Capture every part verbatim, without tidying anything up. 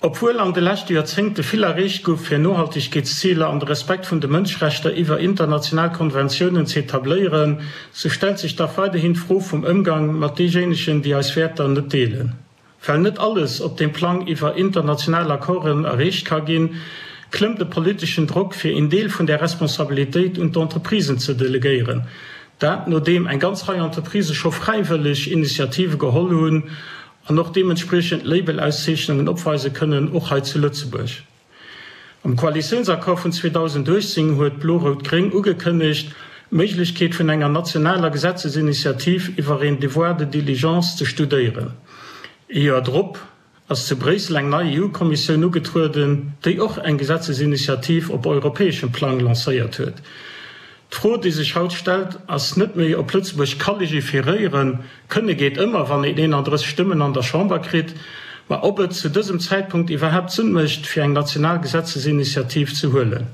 Obwuel an de leschte Joerzéngte vill erreecht gouf, fir Nohaltegkeetsziler an de Respekt vun de Mënschrechter iwwer international Konventiounen z'etabléieren, sou stellt sech dach weiderhin d'Fro vum Ëmgang mat deejéinegen, déi eis Wäerter net deelen. Well net alles op deem Plang iwwer international Accorden erreecht ka ginn, klëmmt de politeschen Drock, fir een Deel vun där Responsabilitéit un d'Entreprisen ze delegéieren. Dat nodeem eng ganz Rei Entreprisë scho fräiwëlleg Initiative geholl hunn an och deementspriechend Label-Auszeechnungen opweise kënnen, och hei zu Lëtzebuerg. Am Koalitiounsaccord vun zweedausenduechtzéng huet Blo-Rout-Gréng ugekënnegt, d'Méiglechkeet vun enger nationaler Gesetzesinitiativ iwwer een Devoir de diligence ze studéieren. Ee Joer drop ass zu Bréissel eng nei E U-Kommissioun ugetrueden, déi och eng Gesetzesinitiativ op europäeschem Plang lancéiert huet. D'Fro, déi sech haut stellt, ass net méi, ob Lëtzebuerg ka legiferéieren, kënne geet ëmmer, wann een eenandrësseg Stëmmen an der Chamber kritt, ma ob et zu dësem Zäitpunkt iwwerhaapt Sënn mécht, fir eng national Gesetzesinitiativ ze huelen.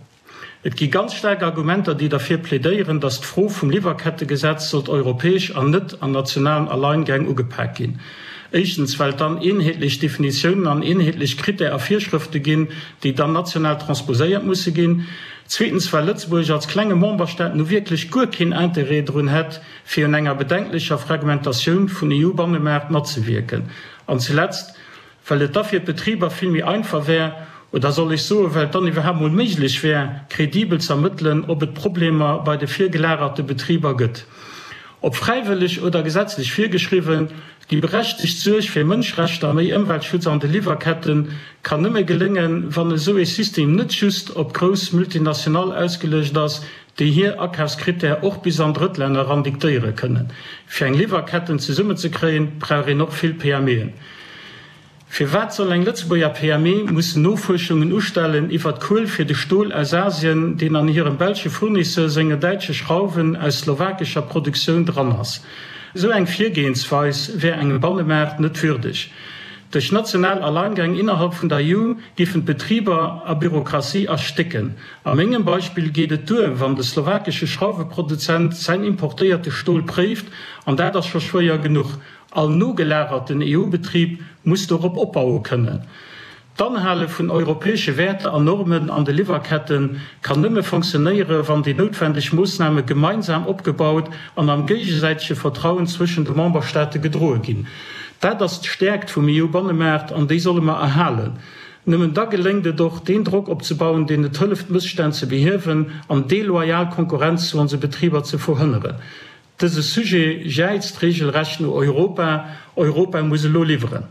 Et gi ganz staark Argumenter, déi derfir plädéieren, datt d'Fro vum Liwwerkettegesetz sollt europäesch an net an nationalen Alleingäng ugepak ginn. Éischtens, well et dann eenheetlech Definitiounen an eenheetlech Critères a Virschrëfte ginn, déi dann national transposéiert musse ginn. Zweetens, well Lëtzebuerg als klenge Memberstaat nu wierklech guer keen Interêt drun hätt, fir un enger bedenklecher Fragmentatioun vun E U-Bannemaart matzewierken. An zuletzt, well et da fir d'Betriber vill méi einfach wär, oder soll ech soen, well et dann iwwerhaapt mol méiglech wär, kredibel z'ermëttelen, ob et Problemer bei de virgelagerte Betriber gëtt. Ob fräiwëlleg oder gesetzlech virgeschriwwen, déi berechtegt Suerg fir Mënschrechter a méi Ëmweltschutz an de Liwwerkette kann nëmme geléngen, wann esou ee System net just op grouss Multinationale ausgeluecht ass, déi hir Akafscritèrë och bis an Drëttlänner eran diktéiere kënnen. Fir eng Liwwerketten zesummenzekréien, brauch een och vill P M Eën. Firwat soll eng Lëtzebuerger P M E mussen Nofuerschungen ustellen iwwert d'Kuel fir de Stol aus Asien, deen an hirem belsche Fournisseur senge däitsche Schrauwen aus slowakescher Produktioun dran ass? Esou eng Virgehensweis wär engem Bannemaart net würdeg. Duerch national Alleingäng innerhalb vun der E U giffen d'Betriber a Bürokratie erstécken. A mengem Beispill geet et duer, wann de slowakesche Schrauweproduzent säin importéierte Stol préift, an dat ass scho schwéier genuch. All nogelagerten E U-Betrib muss dorop opbaue kënnen. D'Anhale vun europäesche Wäerter an Normen an de Liwwerkette kann nëmme fonctionnéiere wann déi noutwendeg Moossname gemeinsam opgebaut an am géigesäitege Vertrauen zwëschen de Memberstaate gedroe ginn. Dat ass d'Stäerkt vum E U-Bannemaart an déi solle mer erhalen. Nëmmen da geléngt et och, deen Drock opzebauen, deen et hëlleft Mësstänn ze behiewen an deloyal Konkurrenz zu onse Betriber ze verhënneren. Dëse Sujet jäizt reegelrecht no Europa. Europa muss elo liwweren.